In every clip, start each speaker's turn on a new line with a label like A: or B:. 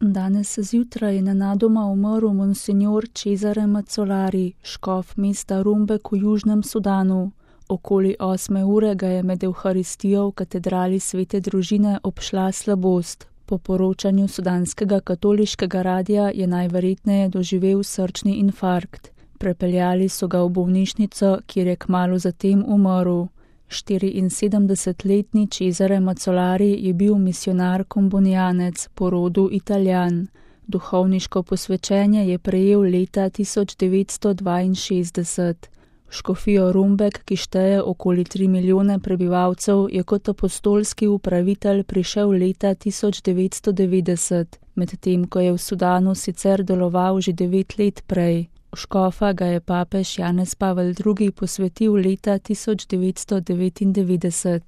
A: Danes zjutraj je nenadoma umrl monsinjor Cesare Mazzolari, škof mesta Rumbek v Južnem Sudanu. Okoli 8 ure ga je med evharistijo v katedrali Svete družine obšla slabost. Po poročanju sudanskega katoliškega radia je najverjetneje doživel srčni infarkt. Prepeljali so ga v bolnišnico, kjer je kmalu zatem umrl. 74-letni Cesare Mazzolari je bil misijonar kombonijanec, po rodu Italijan. Duhovniško posvečenje je prejel leta 1962. Škofijo Rumbek, ki šteje okoli 3 milijone prebivalcev, je kot apostolski upravitelj prišel leta 1990, medtem ko je v Sudanu sicer deloval že 9 let prej. Škofa ga je papež Janez Pavel II. Posvetil leta 1999.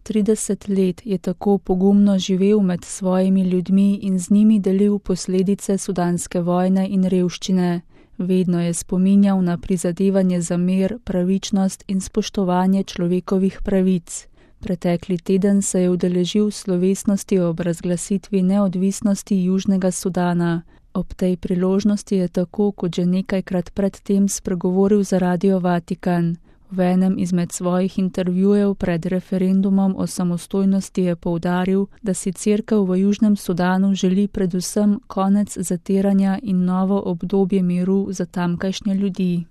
A: 30 let je tako pogumno živel med svojimi ljudmi in z njimi delil posledice sudanske vojne in revščine. Vedno je spominjal na prizadevanje za mir, pravičnost in spoštovanje človekovih pravic. Pretekli teden se je udeležil slovesnosti ob razglasitvi neodvisnosti Južnega Sudana. Ob tej priložnosti je tako, kot že nekajkrat predtem spregovoril za Radio Vatikan. V enem izmed svojih intervjujev pred referendumom o samostojnosti je poudaril, da si Cerkev v Južnem Sudanu želi predvsem konec zatiranja in novo obdobje miru za tamkajšnje ljudi.